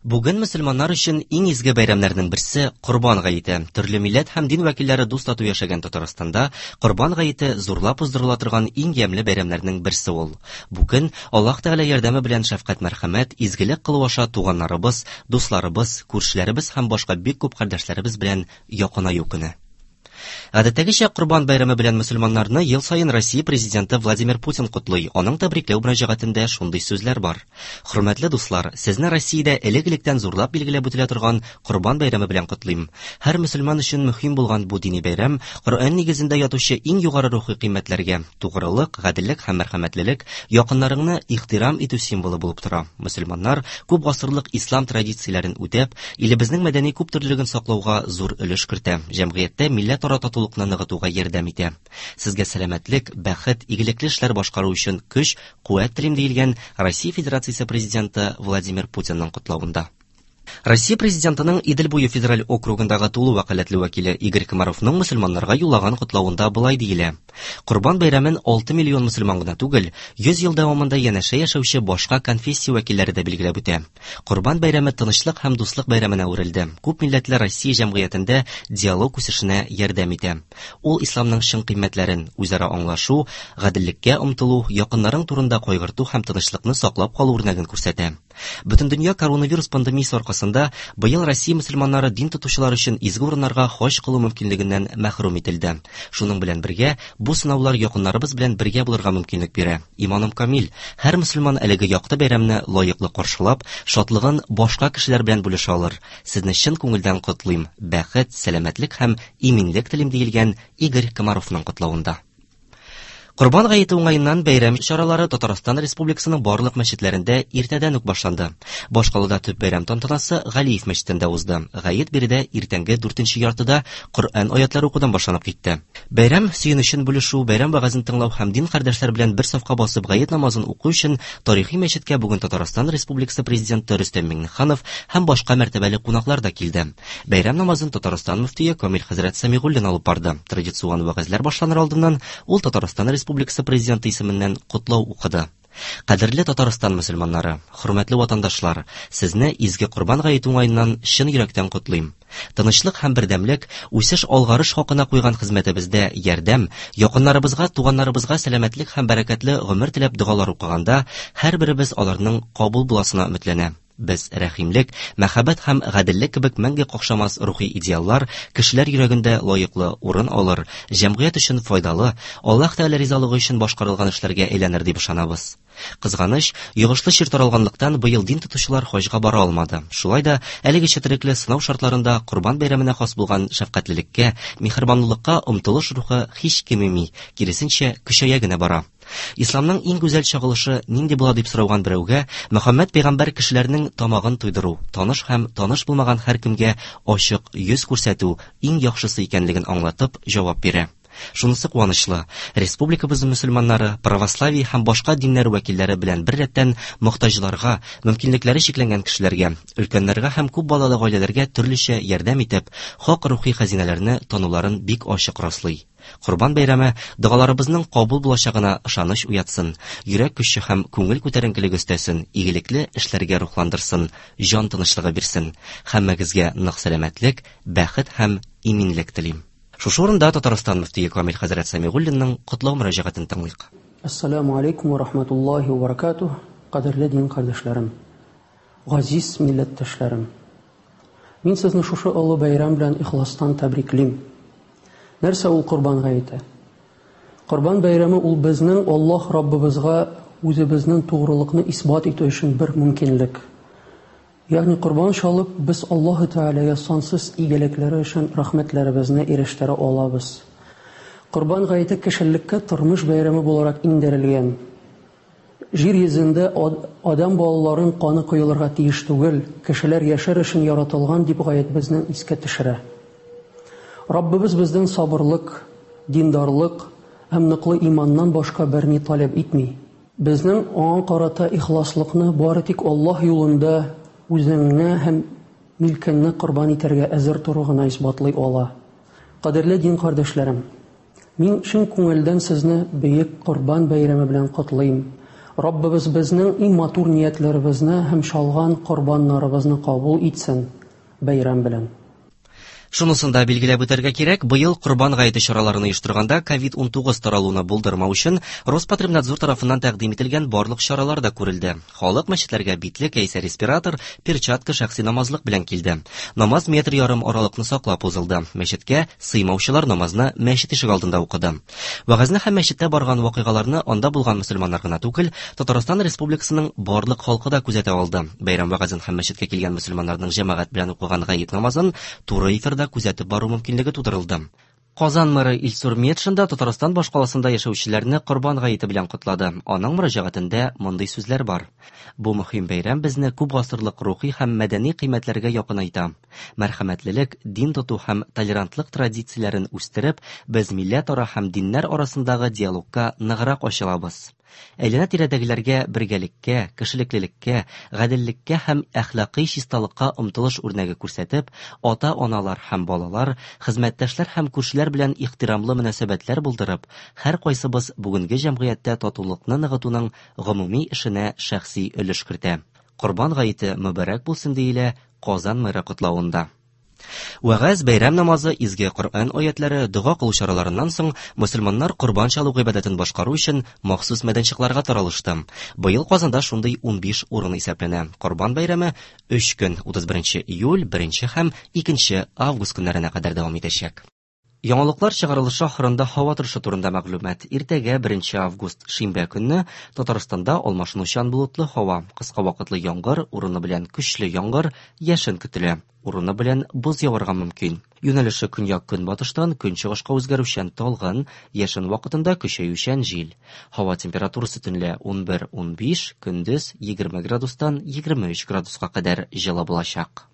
Бүген мөселманнар өчен иң изге бәйрәмнәрнең берсе Корбан гаете. Төрле милләт һәм дин вәкилләре дус-тату яшәгән Татарстанда Корбан гаете зурлап уздырыла торган иң ямьле бәйрәмнәрнең берсе ул. Бу көн Аллаһ Тәгалә ярдәме белән шәфкать-мәрхәмәт, изгелек кылу аша туганнарыбыз, дусларыбыз, күршеләребез һәм башка бик күп кардәшләребез белән якынаю көне. Гадәттәгечә, Корбан бәйрәме белән мөселманнарны ел саен Россия Президенты Владимир Путин котлый. Аның тәбрикләү мөрәҗәгатендә шундый сүзләр бар. Хөрмәтле дуслар, сезне Россиядә элек-электән зурлап билгеләп үтелә торган Корбан бәйрәме белән котлыйм. Һәр мөселман өчен мөһим булган бу дини бәйрәм Коръән нигезендә ятучы иң югары рухи кыйммәтләргә, тугрылык, гаделлек һәм мәрхәмәтлелек, якыннарыңны ихтирам итү символы булып тора. Мөселманнар күп гасырлык ислам традицияләрен үтәп, илебезнең мәдәни күптөрлелеген саклауга зур өлеш кертә, җәмгыятьтә милләтара татулыкны ныгытуга ярдәм итә. Сезгә сәламәтлек, бәхет, игелекле эшләр башкару өчен көч, куәт телим, диелгән Россия Федерациясе Президенты Владимир Путинның котлавында. Россия Президентының Идел буе федераль округындагы тулы вәкаләтле вәкиле Игорь Комаровның мөселманнарга юллаган котлавында болай диелә. Корбан бәйрәмен 6 миллион мөселман гына түгел, 100 ел дәвамында янәшә яшәүче башка конфессия вәкилләре дә билгеләп үтә. Корбан бәйрәме тынычлык һәм дуслык бәйрәменә әверелде. Күп милләтле Россия җәмгыятендә диалог үсешенә ярдәм итә. Ул исламның чын кыйммәтләрен, үзара аңлашу, гаделлеккә омтылу, якыннарың турында кайгырту һәм тынычлыкны саклап калу үрнәген күрсәтә. Бөтендөнья коронавирус пандемиясе аркасында быел Россия мөселманнары дин тотучылар өчен изге урыннарга хаҗ кылу мөмкинлегеннән мәхрүм ителде. Шуның белән бергә, бу сынаулар якыннарыбыз белән бергә булырга мөмкинлек бирә. Иманым камил, һәр мөселман әлеге якты бәйрәмне лаеклы каршылап, шатлыгын башка кешеләр белән бүлешә алыр. Сезне чын күңелдән котлыйм, бәхет, сәламәтлек һәм иминлек телим, диелгән Игорь Комаровның котлавында. Корбан гаете уңаеннан бәйрәм чаралары Татарстан Республикасының барлык мәчетләрендә иртәдән үк башланды. Башкалада төп бәйрәм тантанасы Галиев мәчетендә узды. Гает биредә иртәнге дүртенче яртыда Коръән аятлары укудан башланып китте. Бәйрәм сөенечен бүлешү, бәйрәм вәгазен тыңлау һәм дин кардәшләр белән бер сафка басып гает намазын уку өчен тарихи мәчеткә бүген Татарстан Республикасы Президенты Рөстәм Миңнеханов һәм башка мәртәбәле кунаклар да килде. Бәйрәм намазын Татарстан мөфтие Камил хәзрәт Сәмигуллин алып барды. Традицион вәгазьләр башланыр алдыннан ул Татарстан Республикасы Президенты исеменнән котлау укыды. Кадерле Татарстан мөселманнары, хөрмәтле ватандашлар, сезне изге Корбан гаете уңаеннан чын йөрәктән котлыйм. Тынычлык һәм бердәмлек, үсеш алгарыш хакына куйган хезмәтебездә ярдәм, якыннарыбызга, туганнарыбызга сәламәтлек һәм бәрәкәтле гомер теләп догалар укыганда, һәрберебез аларның кабул буласына өметләнә. Без рәхимлек, мәхәббәт һәм гаделлек кебек мәңге какшамас рухи идеаллар кешеләр йөрәгендә лаеклы урын алыр, җәмгыять өчен файдалы, Аллаһ Тәгалә ризалыгы өчен башкарылган эшләргә әйләнер дип ышанабыз. Кызганыч, йогышлы чир таралганлыктан быел дин тотучылар хаҗга бара алмады. Шулай да әлеге четерекле сынау шартларында Корбан бәйрәменә хас булган шәфкатьлелеккә, миһербанлылыкка омтылыш рухы һич кимеми, киресенчә, көчәя генә бара. Исламның иң гүзәл чагылышы нинди була дип сорауган берәүгә Мөхәммәд пәйгамбәр кешеләрнең тамагын туйдыру, таныш һәм таныш булмаган һәркемгә ачык йөз күрсәтү иң яхшысы икәнлеген аңлатып җавап бирә. Шунысы куанычлы, республикабыз мөселманнары, православие һәм башка диннәр вәкилләре белән беррәттән мохтаҗларга, мөмкинлекләре чикләнгән кешеләргә, өлкәннәргә һәм күп балалы гаиләләргә төрлечә ярдәм итеп, хак рухи хәзинәләрне тануларын бик ачык раслый. Корбан бәйрәме догаларыбызның кабул булачагына ышаныч уятсын, йөрәк көче һәм күңел күтәренкелеге өстәсен, игелекле эшләргә рухландырсын, җан тынычлыгы бирсен. Һәммәгезгә нык сәламәтлек, бәхет һәм иминлек телим. Шушы урында Татарстан мөфтие Камил хәзрәт Сәмигуллинның котлау мөрәҗәгатен тыңлыйк. Әссәламү алейкум вә рахматуллаһи вә баракатуһ, кадерле дин кардәшләрем, газиз милләттәшләрем! Мин сезне шушы олы бәйрәм белән ихластан тәбриклим. Нәрсә ул Корбан гаете? Корбан бәйрәме ул безнең Аллаһ Раббыбызга үзебезнең тугрылыкны исбат итү өчен бер мөмкинлек. Ягъни корбан чалып, без Аллаһы Тәгаләгә сансыз игелекләре өчен рәхмәтләребезне ирештерә алабыз. Корбан гаете кешелеккә тормыш бәйрәме буларак иңдерелгән. Җир йөзендә адәм балаларын каны коелырга тиеш түгел, кешеләр яшәр өчен яратылган, дип гаять безнең искә төшерә. Раббыбыз бездән сабырлык, диндарлык һәм ныклы иманнан башка берни таләп итми. Безнең Аңа карата ихласлыкны бары тик Аллаһ юлында үзеңне һәм милкеңне корбан итәргә әзер тору гына исбатлый ала. Кадерле дин кардәшләрем! Мин чын күңелдән сезне бөек Корбан бәйрәме белән котлыйм. Раббыбыз безнең иң матур ниятләребезне һәм чалган корбаннарыбызны кабул итсен. Бәйрәм белән! Шунысын да билгеләп үтәргә кирәк, быел Корбан гаете чараларын оештырганда ковид-19 таралуны булдырмау өчен Роспотребнадзор тарафыннан тәкъдим ителгән барлык чаралар да күрелде. Халык мәчетләргә битлек яисә респиратор, перчатка, шәхси намазлык белән килде. Намаз метр ярым аралыкны саклап узылды. Мәчеткә сыймаучылар намазны мәчет ишегалдында укыды. Вәгазьне һәм мәчеттә барган вакыйгаларны анда булган мөселманнар гына түгел, Татарстан Республикасының барлык халкы да күзәтә алды. Бәйрәм вәгазен һәм мәчеткә килгән мөселманнарның җәмәгать белән укыган гает намазын туры эфирда күзәтеп бару мөмкинлеге тудырылды. Казан мэры Илсур Метшин да Татарстан башкаласында яшәүчеләрне Корбан гаете белән котлады. Аның мөрәҗәгатендә мондый сүзләр бар. Бу мөһим бәйрәм безне күп гасырлык рухи һәм мәдәни кыйммәтләргә якынайта. Мәрхәмәтлелек, дин тоту һәм толерантлык традицияләрен үстереп, без милләтара һәм диннәр арасындагы диалогка ныграк ачылабыз. Әйләнә-тирәдәгеләргә бергәлеккә, кешелеклелеккә, гаделлеккә һәм әхлакый чисталыкка омтылыш үрнәге күрсәтеп, ата-аналар һәм балалар, хезмәттәшләр һәм күршеләр белән ихтирамлы мөнәсәбәтләр булдырып, һәркайсыбыз бүгенге җәмгыятьтә татулыкны ныгытуның гомуми эшенә шәхси өлеш кертә. Корбан гаете мөбарәк булсын, диелә Казан мэры котлавында. Вәгазь, бәйрәм намазы, изге Коръән аятләре, дога кылу чараларыннан соң мөселманнар корбан чалу гыйбадәтен башкару өчен махсус мәйданчыкларга таралышты. Быел Казанда шундый 15 урын исәпләнә. Корбан бәйрәме өч көн, 31 июль, 1 һәм 2 август көннәренә кадәр дәвам итәчәк. Яңалыклар чыгарылышы ахырында һава торышы турында мәгълүмат. Иртәгә, 1 август, шимбә көнне, Татарстанда алмашынучан болытлы һава, кыска вакытлы яңгыр, урыны белән көчле яңгыр, яшен көтелә. Урыны белән боз яварга мөмкин. Юнәлеше көньяк-көнбатыштан көнчыгышка үзгәрүчән талгын, яшен вакытында көчәючән җил. Һава температурасы төнлә 11-15, көндез 20 градустан 23 градуска кадәр җылы булачак.